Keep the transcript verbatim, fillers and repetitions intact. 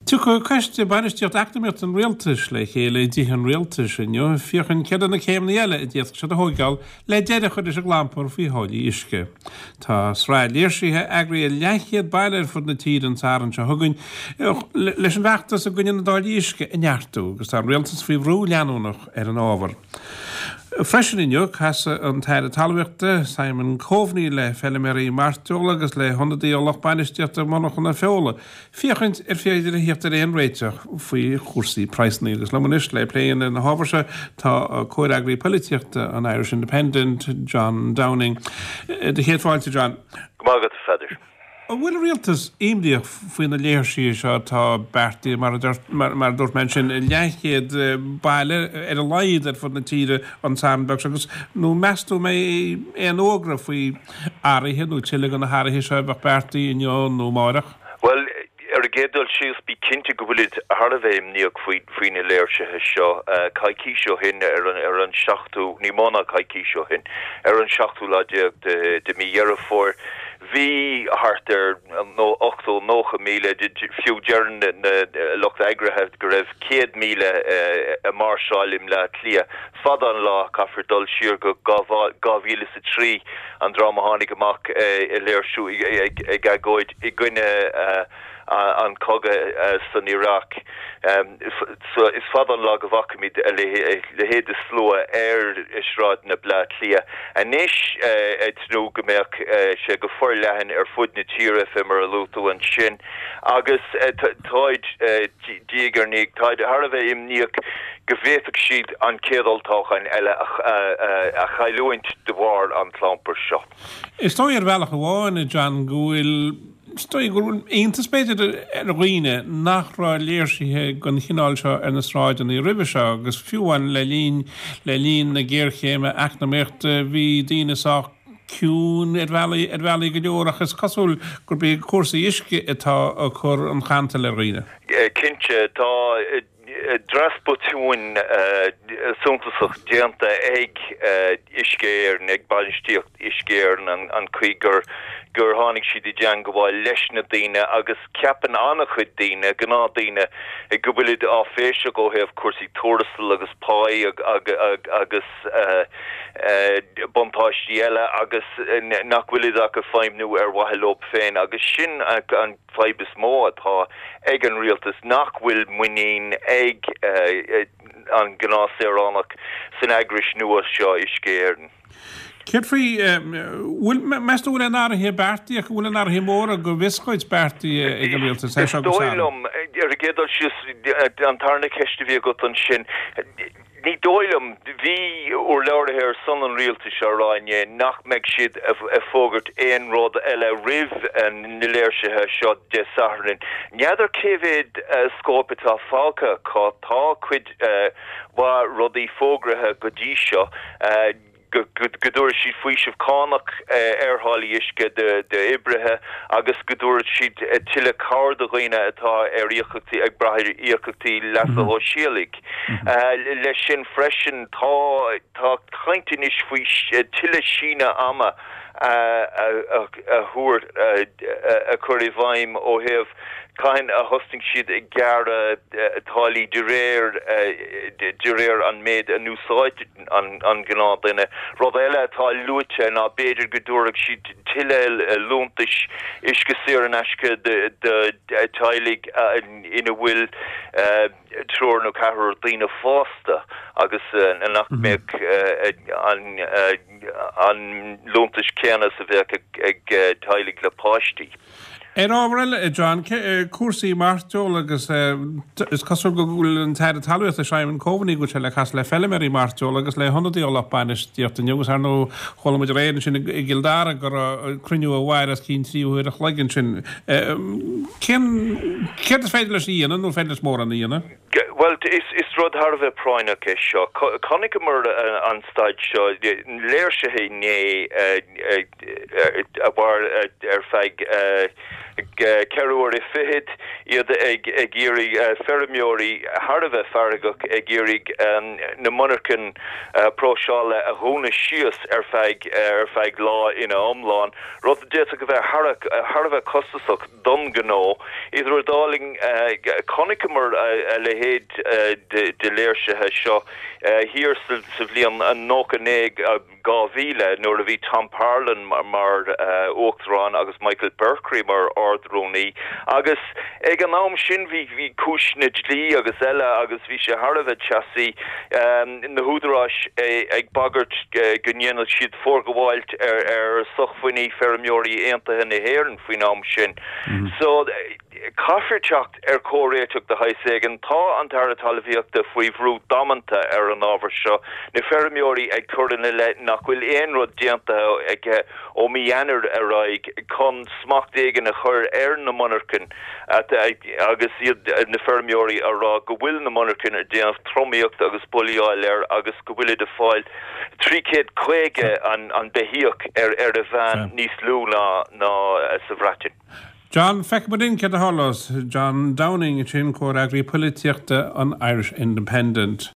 Tiocfaidh Coiste Bainistíocht Eacnamaíochta an Rialtais le chéile i dTithe an Rialtais inniu féachaint céard na céimeanna eile a d'fhéadfadh siad a thógáil le deireadh a chur leis an gclampar faoi tháillí uisce. Tá sraith léirsithe eagraithe i leathchéad baile ar fud na tíre an Satharn seo chugainn leis an bhfeachtas i gcoinne na dtáillí uisce a neartú agus tá an rialtas faoi bhrú leanúnach ar an ábhar. Freisin inniu casfaidh an tAire Talmhaíochta Simon Coveney le feilméaraí mairteola agus le hionadaithe ó lucht bainistíochta monarchana feola, féachaint ar féidir a theacht ar aon réiteach faoi chúrsaí praghsanna agus liom anois le plé ar na hábhair seo tá comhfhreagraí polaitíochta an Irish Independent John Downing. Do chéad fáilte John. Go maith agat a Pheadair. An bhfuil an rialtas imníoch faoi na léirsithe seo atá beartaithe mar mar dúirt mé ansin i leathchéad baile ar a laghad ar fud na tíre an Satharn beag seo agus nó meas tú an mbeidh aon fhógra faoi athruithe nó tuilleadh de na hathruithe seo a bheadh beartaithe inniu nó amárach? Bhuel ar an gcéad dul síos bí cinnte go bhfuilid thar a bheith imníoch faoi faoi na léirsithe seo coicís ó shin ar an ar an seachtú ní mó ná coicís ó shin ar an seachtú lá déag de de mí Dheireadh Fómhair Bhí thart ar ochtó, nócha míle, fiú deireann na lucht eagraithe go raibh céad míle ag máirseáil i mBleá Cliath. Fada an lá, caithfear dul siar go dhá mhíle is a trí, an dream a tháinig amach ag léirsiú, ag agóid i gcoinne an cogadh san Iaráic. Is fada an lá go bhfacaimid a leithéid de slua ar shráideanna Bleá Cliath anois, ag tnúth go mbeadh sé go forleathan ar fud na tíre, fé mar a luaigh tú ansin. Agus táid, diaidh ar ndiaidh, táid thar a bheith imníoch go bhféadfadh siad an chéad olltoghchán eile a chailliúint de bharr an chlampair seo. Is dóigh ar bhealach amháin, a John, go bhfuil Is dóigh go bhfuil iontas b'fhéidir ar dhaoine nach raibh léirsithe den chineál seo ar na sráideanna roimhe seo agus fiú amháin le linn le linn na géarchéime eacnamaíochta bhí daoine sách ciúin ar bhealaí ar bhealaí go leor ach is cosúil gurb é cúrsaí uisce atá ag cur an chantail ar dhaoine. Cinnte, tá Dreas botúin suntasach déanta ag Uisce Éireann, ag bainistíocht Uisce Éireann, an chaoi gur gur tháinig siad i dteangabháil leis na daoine agus ceapann an-chuid daoine, gnáthdhaoine, go bhfuilid áiféiseach ó thaobh cúrsaí tuarastail agus páí agus buntáistí eile agus nach bhfuilid ach ag feidhmniú ar mhaithe leo féin agus sin an fadhb is mó atá ag an rialtas nach bhfuil muinín ag an gnáthshaoránach san eagrais nua seo, Uisce Éireann. Céard faoi, bhfuil, meas tú bhfuil aon athruithe beartaithe acu, bhfuil aon athruithe móra go bhfios dhuit beartaithe ag an rialtas as seo Is go dóigh Samhain? liom, ar an gcéad dul síos, an tarna ceist a bhí agat ansin, Ní dóigh liom. Bhí urlabhraithe ar son an rialtais á rá inné nach mbeidh siad ag fógairt aon rud eile roimh na léirsithe seo Dé Sathairn. N'fheadar cé mhéad scóip atá fágtha acu. Tá cuid mhaith rudaí fógraithe go dtí seo. go dtabharfaidh siad faoiseamh cánach ar tháillí uisce d'oibrithe agus go dtabharfaidh siad tuilleadh cabhair do dhaoine atá ar íocaíochtaí, ag brath ar íocaíochtaí leasa shóisialaigh. Leis sin freisin, tá tá caint anois faoi tuilleadh síneadh ama a thabhairt, a chur i bhfeidhm ó thaobh cathain a thosnaigh siad ag gearradh táillí de réir de réir an méid a n-úsáideann an gnáthdhuine. Rud eile atá luaite ná b'fhéidir go dtabharfadh siad tuilleadh liúntais uisce saor in aisce do theaghlaigh ina bhfuil triúr nó ceathrar daoine fásta agus nach mbeadh an liúntas céanna is a bheadh ag teaghlaigh le páistí. Ar ábhar eile, a John, cúrsaí mairteola agus is cosúil go bhfuil an tAire Talmhaíochta Simon Coveney go bhfuil sé le casadh le feilméaraí mairteola agus le hionadaithe ó lucht bainistíochta inniu agus ar ndóigh chuala muid aréir ansin i gCill Dara go raibh cruinniú a mhair os cionn trí uair a chloig ansin. Cén, céard is féidir leis a dhéanamh nó féidir leis mórán a dhéanamh? Bhuel, is rud thar a bheith práinneach é seo. Chonaiceamar an staid seo, léirsithe inné a mhair ar feadh ceithre huaire fichead iad ag ag iarraidh feirmeoirí thar a bheith feargach ag iarraidh na monarchain próiseála a dhúnadh síos ar feadh ar feadh lá ina iomlán, rud a d'fhéadfadh a bheith thar a bheith costasach don ghnó. Idir an dá linn chonaiceamar a leithéid de léirsithe seo thiar sa bhliain nócha naoi dhá mhíle nuair a bhí Tom Parlon mar uachtarán agus Michael Berkery mar ardrúnaí agus ag an am sin bhí bhí cúiseanna dlí agus eile agus bhí sé thar a bheith teasaí na húdaráis ag bagairt go ndéanfadh siad forghabháil ar ar sócmhainní feirmeoirí aontaithe na hÉireann faoin am sin. So caithfear teacht ar chomhréiteach de shaghas éigin tá an tAire Talmhaíochta faoi bhrú damanta ar an ábhar seo na feirmeoirí ag cur ina leith nach bhfuil aon rud déanta aige ó mí Eanáir ar aghaidh chun smacht éigin a chur ar na monarchain agus iad na feirmeoirí á rá go bhfuil na monarchain ag déanamh tromaíocht agus bulaíocht air agus go bhfuil ag fáil trí chéad caoga an an beithíoch ar ar a mheán níos lú ná ná sa Bhreatain. John feicfimid céard a tharlós John Downing sin comhfhreagraí polaitíochta an Irish Independent.